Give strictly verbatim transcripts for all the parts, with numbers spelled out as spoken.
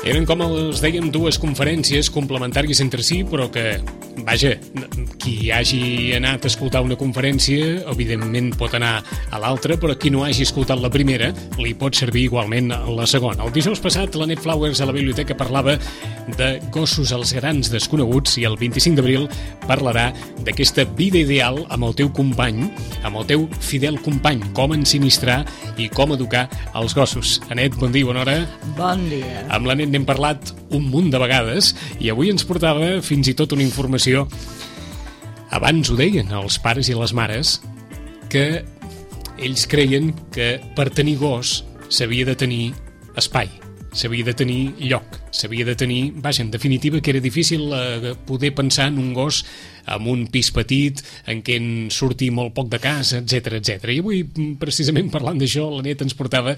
Eren, com els dèiem, dues conferències complementàries entre si, però que, vaja, qui hagi anat a escoltar una conferència, evidentment pot anar a l'altra, però qui no hagi escoltat la primera, li pot servir igualment la segona. El dijous passat, la Net Flowers a la biblioteca parlava de gossos als grans desconeguts i el vint-i-cinc d'abril parlarà d'aquesta vida ideal amb el teu company, amb el teu fidel company, com ensinistrar i com educar els gossos. Anet, bon dia, bona hora. Bon dia. Amb l'Anet n'hem parlat un munt de vegades i avui ens portava fins i tot una informació. Abans ho deien els pares i les mares que ells creien que per tenir gos s'havia de tenir espai, s'havia de tenir lloc, s'havia de tenir... Vaja, en definitiva, que era difícil eh, poder pensar en un gos amb un pis petit, en què en surti molt poc de casa, etcètera, etcètera. I avui, precisament parlant d'això, la Net ens portava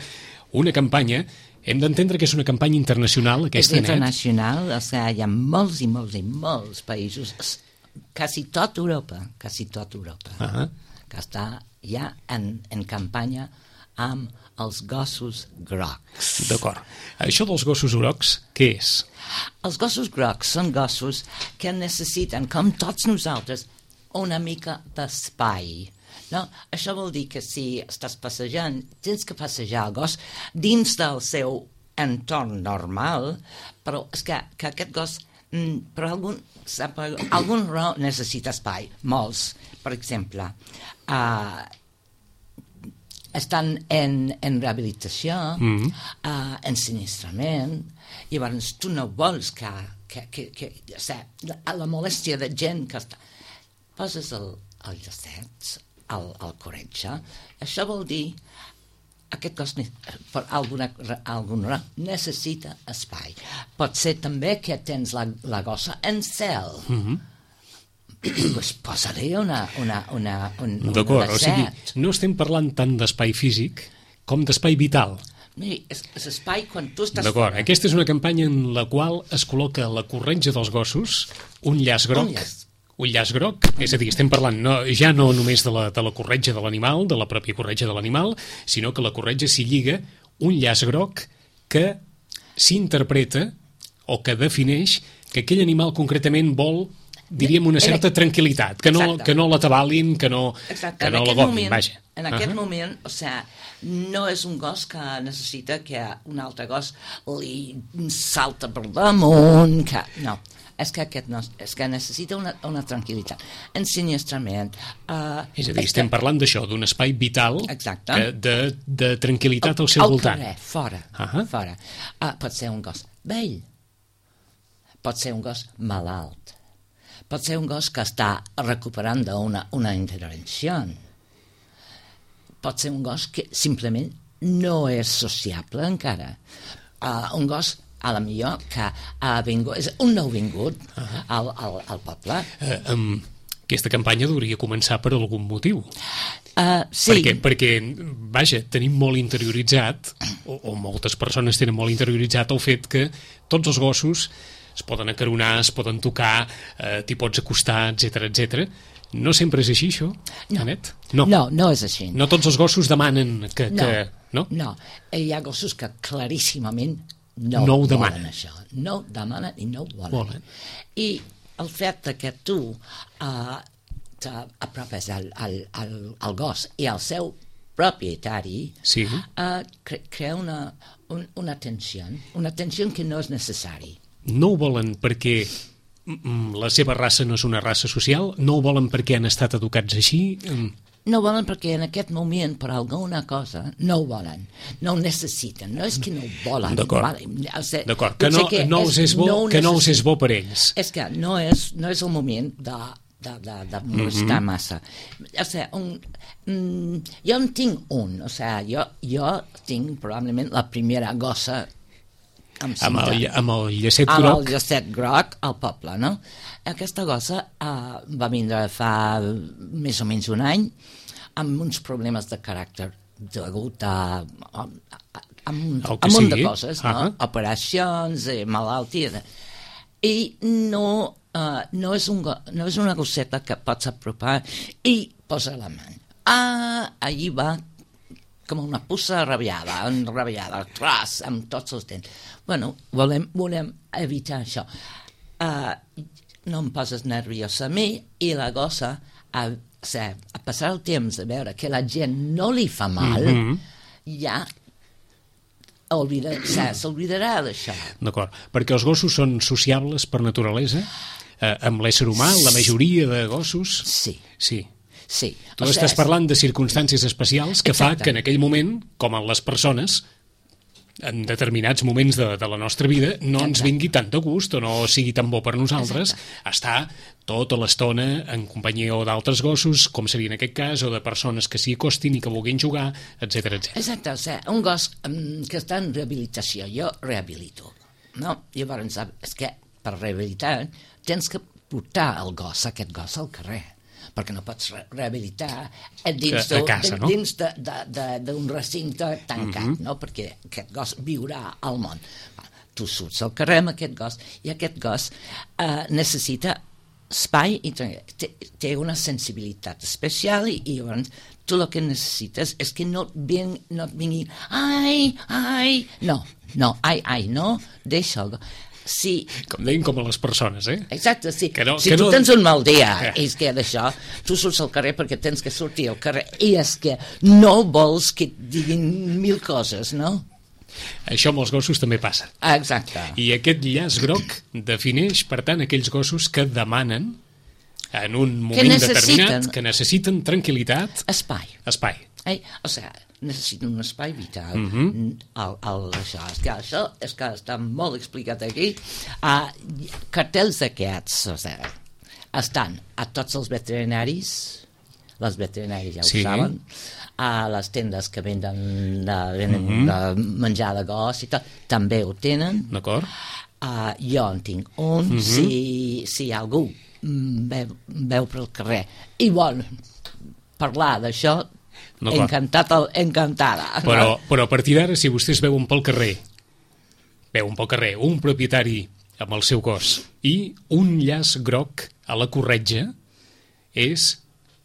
una campanya. Hem d'entendre que és una campanya internacional, aquesta, Net. És internacional, o sigui, hi ha molts i molts i molts països, quasi tot Europa, quasi tot Europa, uh-huh. que està ja en, en campanya amb els gossos grocs. D'acord. Això dels gossos grocs, què és? Els gossos grocs són gossos que necessiten, com tots nosaltres, una mica d'espai. No? Això vol dir que si estàs passejant, tens que passejar el gos dins del seu entorn normal, però és que, que aquest gos, per algun, per algun raó necessita espai, molts. Per exemple, uh, estan en, en rehabilitació, mm-hmm. uh, en sinistrament, i llavors tu no vols que, que, que, que o sigui, la, la molèstia de gent que està... Poses el, el llacet, el, el corretge, això vol dir aquest cos per alguna, alguna necessita espai. Pot ser també que tens la, la gossa en cel. Mm-hmm. Pues posa-li una, una, una, un, D'acord, o sigui, no estem parlant tant d'espai físic com d'espai vital. Miri, és, és espai quan tu estàs... D'acord, fora. Aquesta és una campanya en la qual es col·loca a la corretja dels gossos un llaç groc, un llaç, un llaç groc, és a dir, estem parlant no, ja no només de la, de la corretja de l'animal, de la pròpia corretja de l'animal, sinó que la corretja s'hi lliga un llaç groc que s'interpreta o que defineix que aquell animal concretament vol, diríem, una certa tranquil·litat, que no, que no l'atabalin, que no, que no l'agofin, vaja. En aquest uh-huh. moment, o sigui, no és un gos que necessita que un altre gos li salta per damunt, que... No, és que aquest no, és que necessita una, una tranquil·litat. Ensinistrament... Uh, és a dir, estem que... parlant d'això, d'un espai vital Exacte. que, de, de tranquil·litat al seu al voltant. Carrer, fora, uh-huh. fora. Uh, pot ser un gos vell, pot ser un gos malalt, pot ser un gos que està recuperant d'una una intervenció, pot ser un gos que simplement no és sociable encara. Uh, un gos, a la millor, que ha vingut, és un nou vingut uh-huh. al, al, al poble. Uh, um, aquesta campanya hauria començar per algun motiu. Uh, sí. Perquè, perquè, vaja, tenim molt interioritzat, o, o moltes persones tenen molt interioritzat el fet que tots els gossos es poden acaronar, es poden tocar, eh, t'hi pots acostar, etcètera, etcètera. No sempre és així, això, no. Anet? No. no, no és així. No tots els gossos demanen que... No, que, no? no. Hi ha gossos que claríssimament no, no ho volen demanen. això. No ho demanen i no ho volen. volen. I el fet que tu uh, t'apropes al, al, al, al gos i al seu propietari, sí. uh, cre crea una, un, una tensió, una tensió que no és necessari. No ho volen perquè la seva raça no és una raça social? No ho volen perquè han estat educats així? No ho volen perquè en aquest moment, per alguna cosa, no ho volen. No ho necessiten. No és que no ho volen. D'acord. Vale. O sigui, D'acord. Que, no, que, no, és, és bo, no que no els és bo per ells. És que no és, no és el moment de, de, de, de molestar mm-hmm. massa. O sigui, un, mm, jo en tinc un. O sigui, jo, jo tinc probablement la primera gossa amb, amb, el, amb el llacet amb groc. Amb el llacet groc al poble, no? Aquesta gossa uh, va vindre fa més o menys un any amb uns problemes de caràcter degut a, a, a, a, a un munt de coses, no? Uh-huh. Operacions, eh, malalties... I no, uh, no, és un, no és una gosseta que pots apropar i posa la mà. Ah, allí va com una puça rabiada, enrabiada, tras, amb tots els dents. Bueno, volem, volem evitar això. Uh, no em poses nerviosa a mi i la gossa a, o sigui, a passar el temps a veure que la gent no li fa mal, mm-hmm. ja s'oblidarà d'això. D'acord, perquè els gossos són sociables per naturalesa? Eh, amb l'ésser humà, la majoria de gossos? Sí. Sí. Sí. Tu o estàs sigui, parlant de circumstàncies especials que exacte. Fa que en aquell moment, com en les persones, en determinats moments de, de la nostra vida no exacte. Ens vingui tant de gust o no sigui tan bo per nosaltres exacte. Estar tota l'estona en companyia o d'altres gossos, com seria en aquest cas, o de persones que s'hi acostin i que vulguin jugar, etcètera, etcètera. Exacte, o sigui, un gos um, que està en rehabilitació, jo rehabilito, no? Llavors, és que per rehabilitar tens que portar el gos, aquest gos al carrer, perquè no pots re rehabilitar dins d'un no? recinte tancat, mm-hmm. no? Perquè aquest gos viurà al món. Tu surts al carrer amb aquest gos i aquest gos uh, necessita espai i té, té una sensibilitat especial i, i llavors tu el que necessites és que no et vingui, no et vingui ai, ai, no, no, ai, ai, no, deixa el gos. Sí. Com deien, com a les persones, eh? Exacte, sí. Que no, si que tu no... tens un mal dia, eh. és que d'això, tu surts al carrer perquè tens que sortir al carrer, i és que no vols que et diguin mil coses, no? Això amb els gossos també passa. Exacte. I aquest llaç groc defineix, per tant, aquells gossos que demanen, en un moment que determinat, que necessiten tranquil·litat... Espai. Espai. Eh? O sigui, necessiten un espai vital. Mm-hmm. el, el, això, és que això és que està molt explicat aquí. Uh, cartells d'aquests, o sigui, estan a tots els veterinaris, les veterinaris ja ho sí. saben, a les tendes que venden, de, venen mm-hmm. de menjar de gos i tot, també ho tenen. D'acord. Uh, jo en tinc un, mm-hmm. si, si algú veu, veu pel carrer i vol parlar d'això, encantat, encantada. Però, però a partir d'ara, si vostès veuen pel carrer, veuen pel carrer un propietari amb el seu gos i un llaç groc a la corretja, és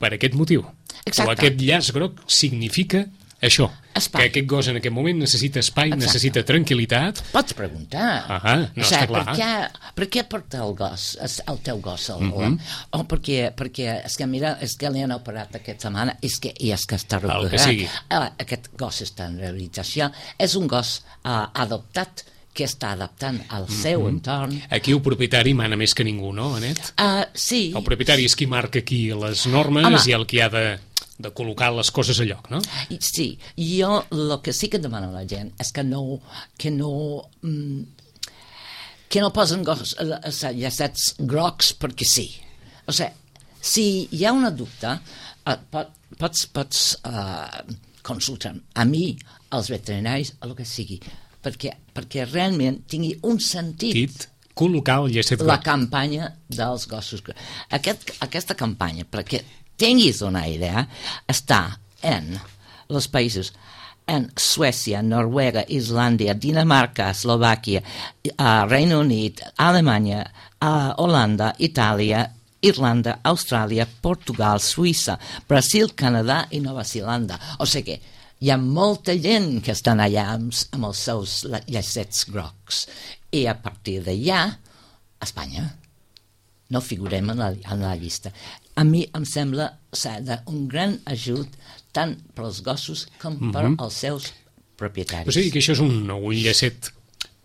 per aquest motiu. Exacte. O aquest llaç groc significa això, espai. Que aquest gos en aquest moment necessita espai, exacte. Necessita tranquil·litat. Pots preguntar. Ah, no o sigui, està clar. Per què, per què porta el gos, el teu gos? El, mm-hmm. O oh, perquè, perquè és que mira, és que li han operat aquesta setmana, és que, i és que està recuperat. Aquest gos està en rehabilitació. És un gos uh, adoptat que està adaptant al seu mm-hmm. entorn. Aquí el propietari mana més que ningú, no, Anet? Uh, sí. El propietari és qui marca aquí les normes Home. I el qui ha de, de col·locar les coses a lloc, no? Sí, jo el que sí que demano a la gent és que no que no mm, que no posen gos, llacets grocs perquè sí. O sigui, si hi ha una dubte, uh, pot, pots, pots uh, consultar a mi, als veterinaris, el que sigui, perquè, perquè realment tingui un sentit Tit, col·locar el llacet groc. La campanya dels gossos. Aquest, aquesta campanya, perquè tinguis una idea, està en els països en Suècia, Noruega, Islàndia, Dinamarca, Eslovàquia, uh, Regne Unit, Alemanya, uh, Holanda, Itàlia, Irlanda, Austràlia, Portugal, Suïssa, Brasil, Canadà i Nova Zelanda. O sigui que hi ha molta gent que estan allà amb, amb els seus llacets grocs. I a partir d'allà, Espanya, no figurem en la, en la llista. A mi em sembla ser un gran ajut tant per als gossos com per mm-hmm. als seus propietaris. O sigui que això és un, un llacet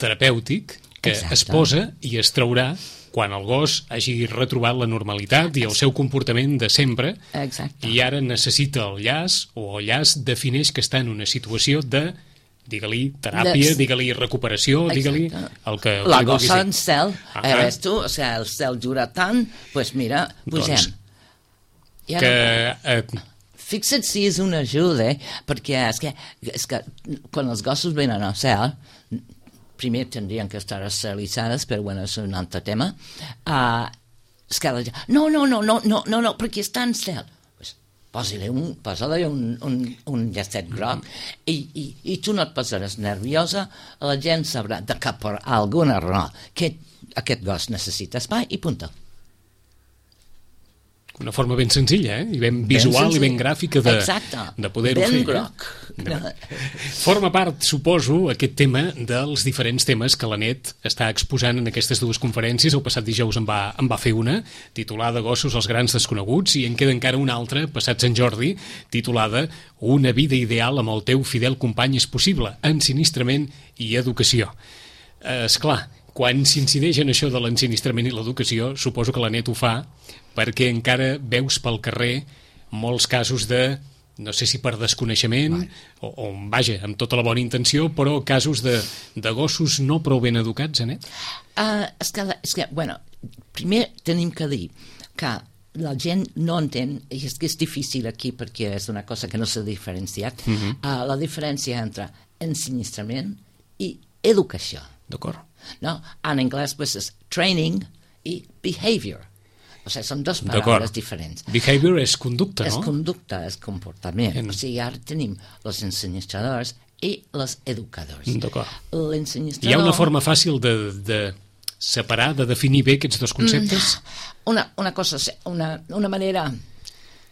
terapèutic que Exacte. Es posa i es traurà quan el gos hagi retrobat la normalitat i el seu comportament de sempre. Exacte. I ara necessita el llaç, o el llaç defineix que està en una situació de, digue-li, teràpia, de... digue-li, recuperació, digue-li el que... La gossa en cel, ah eh, ves tu, o sigui, el cel dura tant, doncs pues mira, pugem. Doncs, I ara, que... Eh... Fixa't si és una ajuda, eh? Perquè és que, és que quan els gossos venen al cel, primer tindrien que estar esterilitzades, però bueno, és un altre tema. Uh, és que la gent, no, no, no, no, no, no, no, perquè està en cel. Pues, posa-li un, posa-li un, un, un llacet groc i, i, i tu no et posaràs nerviosa, la gent sabrà de que per alguna raó que aquest gos necessita espai i punta. Una forma ben senzilla, eh? I ben visual ben i ben gràfica de, de poder-ho fer. Ben groc. Eh? Forma part, suposo, aquest tema dels diferents temes que l'Anet està exposant en aquestes dues conferències. El passat dijous en va, en va fer una, titulada Gossos als grans desconeguts, i en queda encara una altra, passat Sant Jordi, titulada Una vida ideal amb el teu fidel company és possible, ensinistrament i educació. Eh, esclar, quan s'incideix en això de l'ensinistrament i l'educació, suposo que l'Anet ho fa perquè encara veus pel carrer molts casos de, no sé si per desconeixement, o, o vaja, amb tota la bona intenció, però casos de, de gossos no prou ben educats, Anet? Uh, és, que, és que, bueno, primer tenim que dir que la gent no entén, i és que és difícil aquí perquè és una cosa que no s'ha diferenciat, uh-huh. uh, la diferència entre ensinistrament i educació. D'acord. No? En anglès pues, és training i behavior. O sigui, són dues paraules diferents. Behavior és conducta, és no? És conducta, és comportament. En... O sigui, ara tenim els ensenyadors i els educadors. D'acord. L'ensenyador... Hi ha una forma fàcil de, de separar, de definir bé aquests dos conceptes? Una, una cosa, una, una manera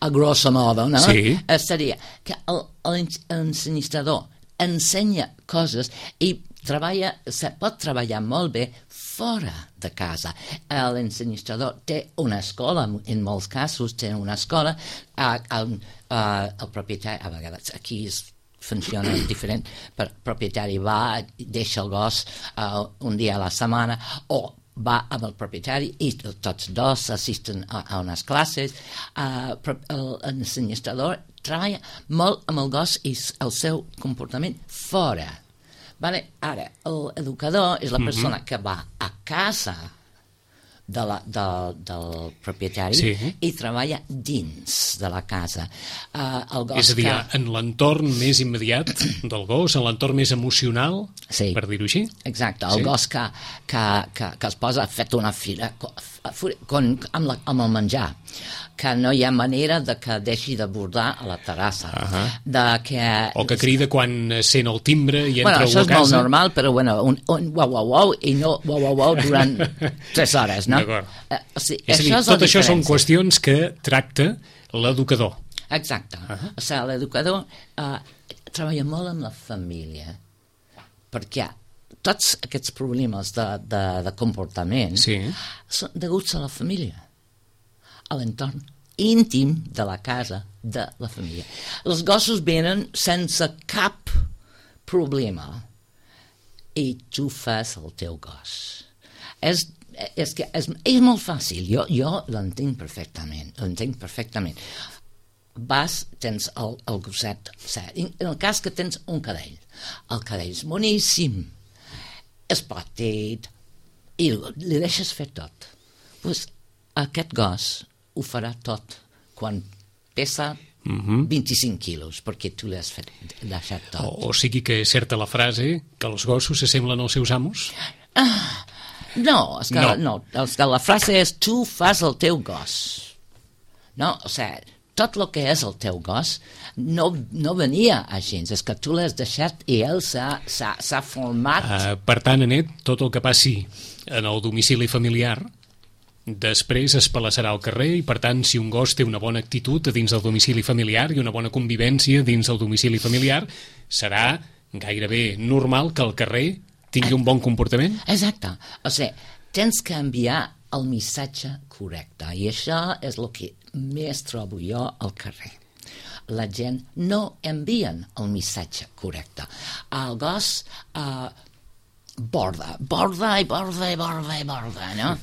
a grosso modo, no? Sí. Seria que l'ensenyador ensenya coses i treballa, se pot treballar molt bé fora de casa. L'ensenyador té una escola, en molts casos té una escola, el, el propietari, a vegades aquí és, funciona diferent, però el propietari va, deixa el gos uh, un dia a la setmana, o va amb el propietari i tots dos assisten a, a unes classes. Uh, l'ensenyador treballa molt amb el gos i el seu comportament fora. Vale? Ara, l'educador és la persona mm-hmm. que va a casa de la, de, del propietari sí. i treballa dins de la casa. Uh, el gos és a dir, que... en l'entorn més immediat del gos, en l'entorn més emocional, sí. per dir-ho així. Exacte, el sí. gos que, que, que, que es posa fet una fira con, amb, la, amb el menjar, que no hi ha manera de que deixi de bordar a la terrassa. Uh-huh. De que... O que crida quan sent el timbre i entra bueno, a casa. Això és molt normal, però bueno, un, un uau, uau, uau, i no uau, uau, uau durant tres hores, no? D'acord. Uh, o sigui, és a dir, això tot això són qüestions que tracta l'educador. Exacte. Uh-huh. O sigui, l'educador uh, treballa molt amb la família, perquè tots aquests problemes de, de, de comportament sí. són deguts a la família, a l'entorn íntim de la casa de la família. Els gossos venen sense cap problema i tu fas el teu gos. És, és, que és, és molt fàcil, jo, jo l'entenc perfectament, l'entenc perfectament. Vas, tens el, el gosset, en el cas que tens un cadell, el cadell és boníssim, és petit, i li deixes fer tot. Pues aquest gos ho farà tot quan pesa mm-hmm. vint-i-cinc quilos, perquè tu l'has fet deixat tot. O, o sigui que és certa la frase que els gossos s'assemblen als seus amos? Ah, no, és que, no. no és que la frase és tu fas el teu gos. No, o sigui, tot el que és el teu gos no, no venia així, és que tu l'has deixat i ell s'ha format. Uh, per tant, Anet, tot el que passi en el domicili familiar després es palassarà al carrer i, per tant, si un gos té una bona actitud dins del domicili familiar i una bona convivència dins del domicili familiar, serà gairebé normal que al carrer tingui un bon comportament? Exacte. O sigui, tens que enviar el missatge correcte i això és el que més trobo jo al carrer. La gent no envien el missatge correcte. El gos uh, borda, borda i borda i borda i borda, no?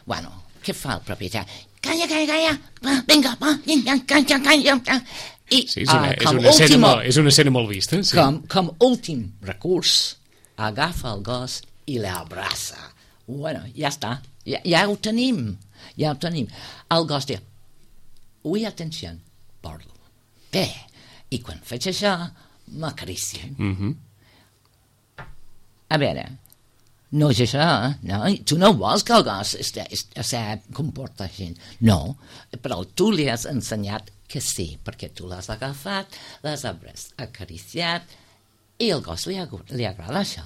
Bueno, què fa el propietari? Calla, calla, calla, va, vinga, va, vinga, calla, calla. I, sí, és una, uh, és, una escena molt, és una escena molt vista. Sí. Com, com últim recurs, agafa el gos i l'abraça. Bueno, ja està, ja, ja ho tenim, ja ho tenim. El gos diu, ui, atenció, bordo. Bé, i quan faig això, m'acaricien. Mm-hmm. A veure, no és això, no? Tu no vols que el gos es, es, es, es comporta així. No, però tu li has ensenyat que sí, perquè tu l'has agafat, l'has acariciat I al gos li, li agrada això.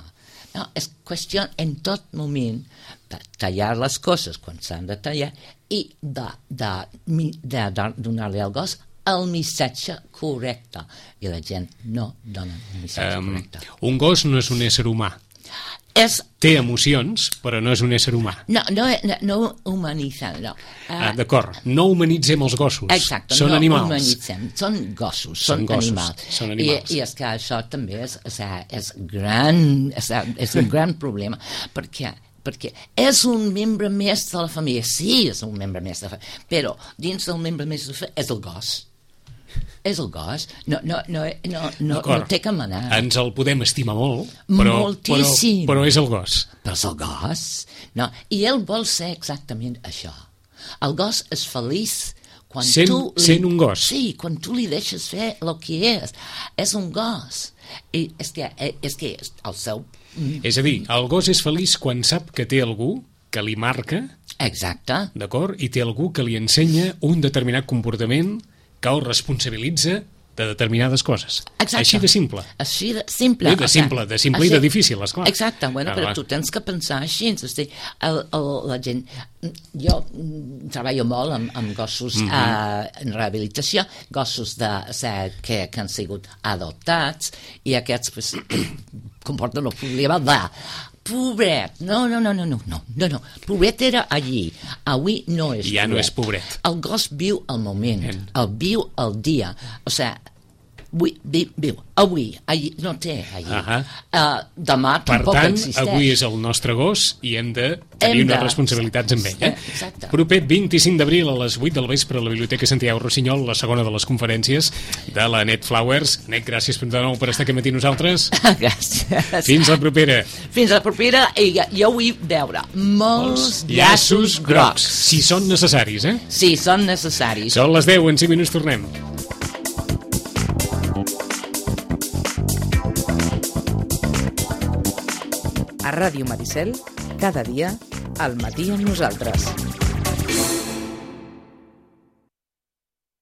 No, és qüestió en tot moment de tallar les coses quan s'han de tallar i de, de, de, de donar-li al gos el missatge correcte. I la gent no dona el missatge um, correcte. Un gos no és un ésser humà. És... Té emocions, però no és un ésser humà. No, no, no, no humanitzem, no. Uh, ah, D'acord, no humanitzem els gossos. Exacte, són no animals. humanitzem, són gossos, són, són gossos, animals. Són animals. I, I és que això també és, és, és, gran, és, és un gran problema, perquè perquè és un membre més de la família. Sí, és un membre més de la família, però dins del membre més de la família és el gos. És el gos, no, no, no, no, no, no té que manar. Ens el podem estimar molt, però, moltíssim. Però, però és el gos. Però és el gos. No, i ell vol ser exactament això. El gos és feliç quan sent, tu... Li, sent un gos. Sí, quan tu li deixes fer el que és. És un gos. I és que, és que el seu... És a dir, el gos és feliç quan sap que té algú que li marca, exacte, d'acord? I té algú que li ensenya un determinat comportament que el responsabilitza de determinades coses. Exacte. Així de simple. Així de simple. Bé, de simple, de simple així, i de difícil, esclar. Exacte, bueno, ah, però va. Tu tens que pensar així. És dir, el, el, la gent... Jo treballo molt amb, amb gossos mm -hmm. uh, en rehabilitació, gossos de, o sigui, que, que han sigut adoptats, i aquests pues, comporten el problema de pobret, no, no, no, no, no, no, no, no, pobret era allí, avui no és ja pobret. No és pobret. El gos viu el moment, el, el viu el dia, o sigui, avui, viu, viu, avui, allí, no té allí, uh -huh. uh, demà per tampoc tant, existeix. Avui és el nostre gos i hem de tenir hem unes de... responsabilitats amb ell. Eh? Exacte. Proper vint-i-cinc d'abril a les vuit del vespre a la Biblioteca Santiago Rossinyol, la segona de les conferències de la Net Flowers. Net, gràcies de nou per estar aquí matí nosaltres. Gràcies. Fins la propera. Fins la propera, i jo vull veure molts llaços grocs. Si són necessaris, eh? Sí, són necessaris. Són les deu, en cinc minuts tornem. A Ràdio Maricel, cada dia, al matí amb nosaltres.